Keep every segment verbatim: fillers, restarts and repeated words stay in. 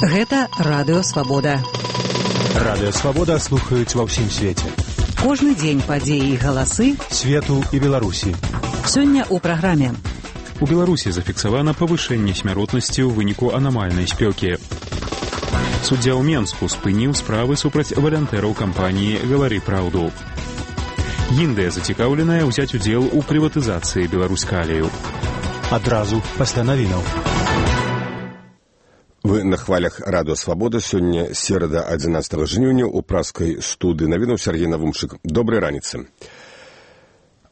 Гэта Радыё Свабода. Радыё Свабода слухаюць ва ўсім свеце. Кожны дзень падзеі і галасы свету і Беларусі. Сёння ў праграме. У Беларусі зафіксавана павышэнне смяротнасці ў выніку анамальнай спёкі. Суддзя ў Менску спыніў справы супраць валантэраў кампаніі «Гавары праўду». Індыя зацікаўленая ўзяць удзел у прыватызацыі Беларуськалію. Адразу пасля навінаў. Вы на хвалях Радыё Свабода. Сёння серада адзінаццатага жніўня ў праскай студыі навінаў Сергей Навумчык. Добрай раніцы.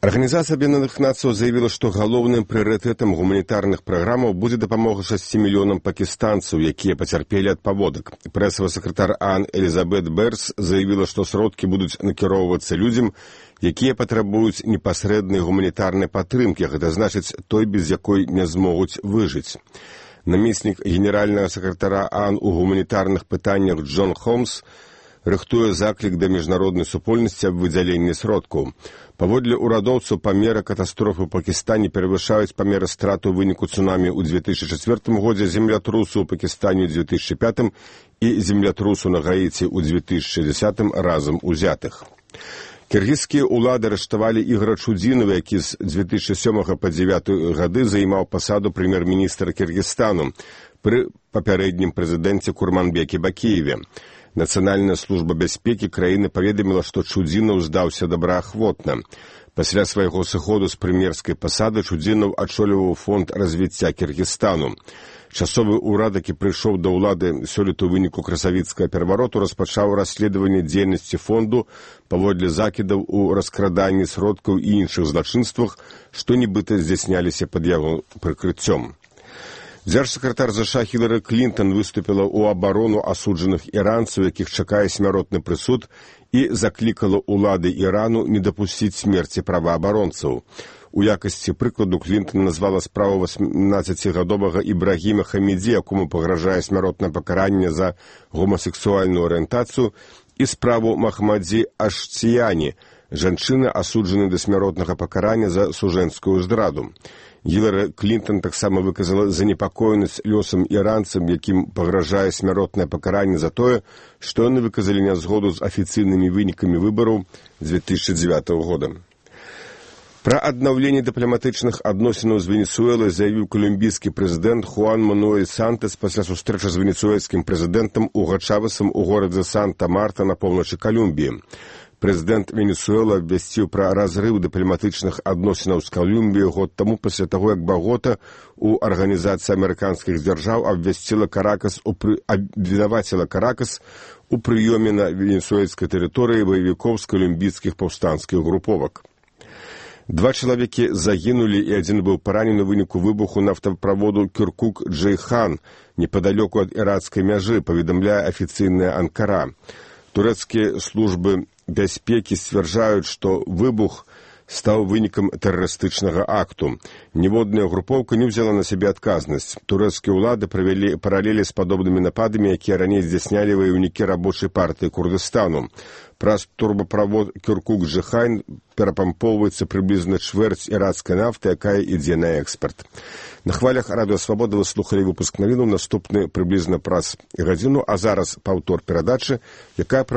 Арганізацыя Аб'яднаных Нацый заявіла, што галоўным прыярытэтам гуманітарных праграмаў будзе дапамога шасці мільёнам пакістанцаў, якія пацярпелі ад паводак. Прэсавы сакратар ААН Элізабет Берс заявіла, што сродкі будуць накіроўвацца людзям, якія патрабуюць непасрэднай гуманітарнай падтрымкі, гэта значыць той, без якой не змогуць выжыць. Намеснік генеральнага сакратара ААН у гуманітарных пытаннях Джон Холмс рыхтуе заклік да міжнароднай супольнасці аб выдзяленні сродкаў. Паводле ўрадоўцаў, памеры катастрофы ў Пакістане перавышаюць памеры страт у выніку цунамі ў дзве тысячы чацвёртым годзе, землятрусу ў Пакістане ў дзве тысячы пятым і землятрусу на Гаіці ў дзве тысячы дзесятым разам узятых. Кіргізскія ўлады арыштавалі Ігора Чудзінова, які з дзве тысячы сёмага па дзевятыя гады займаў пасаду прэм'ер-міністра Кіргізстану пры папярэднім прэзідэнце Курманбеке Бакіеве. Нацыянальная служба бяспекі краіны паведаміла, што Чудзінаў здаўся добраахвотна. Пасля свайго сыходу з прэм'ерскай пасады Чудзінаў ачоліваў фонд развіцця Кіргізстану. Часовы ўрад, які прыйшоў да ўлады сёлета ў выніку красавіцкага перавароту, распачаў расследаванне дзейнасці фонду паводле закідаў у раскраданні сродкаў і іншых злачынствах, што нібыта здзяйсняліся пад яго прыкрыццём. Дзяржсакратар ЗША Хілары Клінтон выступіла ў абарону асуджаных іранцаў, якіх чакае смяротны прысуд, і заклікала ўлады Ірану не дапусціць смерці праваабаронцаў. У якасці прыкладу Клінтон назвала справу васьмнаццацігадовага Ібрагіма Хамідзі, якому пагражае смяротнае пакаранне за гомасексуальную арыентацыю, і справу Махмадзі Ашціяні, жанчыны, асуджанай да смяротнага пакарання за сужэнскую здраду. Гілары Клінтон таксама выказала занепакоенасць лёсам іранцам, якім пагражае смяротнае пакаранне за тое, што яны выказалі нязгоду з афіцыйнымі вынікамі выбараў дзве тысячы дзевятага года. Пра аднаўленне дыпламатычных адносінаў з Венесуэлай заявіў колумбійскі прэзідэнт Хуан Мануэль Сантас пасля сустрэчы з венесуэльскім прэзідэнтам Уго Чавесам у горадзе Санта-Марта на поўначы Колумбіі. Прэзідэнт Венесуэла абвясціў пра разрыў дыпламатычных адносінаў з Колумбіяй год таму пасля таго, як Багота у Арганізацыі амерыканскіх дзяржаў абвясціла Каракас, упры... абвінаваціла Каракас у прыёме на венесуэльскай тэрыторыі баевікоў з колумбійскіх паўстанцкіх груповак. Два чалавекі загінулі і адзін быў паранены ў выніку выбуху нафтаправоду Кюркук-Джейхан непадалёку ад іракскай мяжы, паведамляе афіцыйная Анкара. Турэцкія службы бяспекі сцвярджаюць, што выбух стаў вынікам тэрарыстычнага акту. Ніводная групоўка не ўзяла на сябе адказнасць. Турэцкія ўлады правялі паралелі з падобнымі нападамі, якія раней здзяйснялі ваёўнікі рабочай партыі Курдыстану. Праз турбаправод Кюркук-Джейхан перапампоўваецца прыблізна чвэрць іракскай нафты, якая ідзе на экспарт. На хвалях Радыё Свабода вы слухалі выпуск навінаў, наступны прыблізна праз гадзіну, а зараз паўтор перадачы, якая